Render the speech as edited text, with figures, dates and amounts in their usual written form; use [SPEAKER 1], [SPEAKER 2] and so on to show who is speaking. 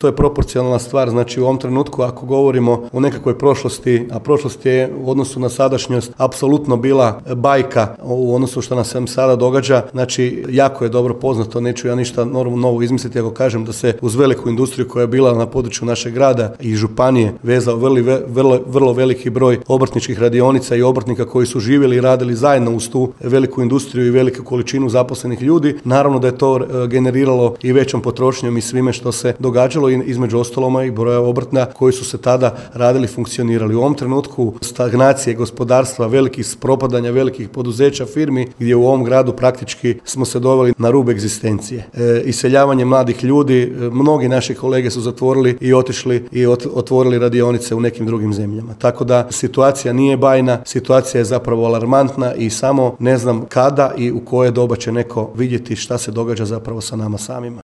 [SPEAKER 1] To je proporcionalna stvar, znači u ovom trenutku ako govorimo o nekakvoj prošlosti, a prošlost je u odnosu na sadašnjost apsolutno bila bajka u odnosu što nam se sada događa, znači jako je dobro poznato, neću ja ništa novo izmisliti ako kažem da se uz veliku industriju koja je bila na području našeg grada i županije vezao vrlo veliki broj obrtničkih radionica i obrtnika koji su živjeli i radili zajedno uz tu veliku industriju i veliku količinu zaposlenih ljudi. Naravno da je to generiralo i većom potrošnjom i svime što se događalo, i između ostaloma i broja obrtna koji su se tada radili, funkcionirali. U ovom trenutku stagnacije gospodarstva, velikih propadanja velikih poduzeća, firmi, gdje u ovom gradu praktički smo se doveli na rub egzistencije. Iseljavanje mladih ljudi, mnogi naši kolege su zatvorili i otišli i otvorili radionice u nekim drugim zemljama. Tako da situacija nije bajna, situacija je zapravo alarmantna i samo ne znam kada i u koje doba će neko vidjeti šta se događa zapravo sa nama samima.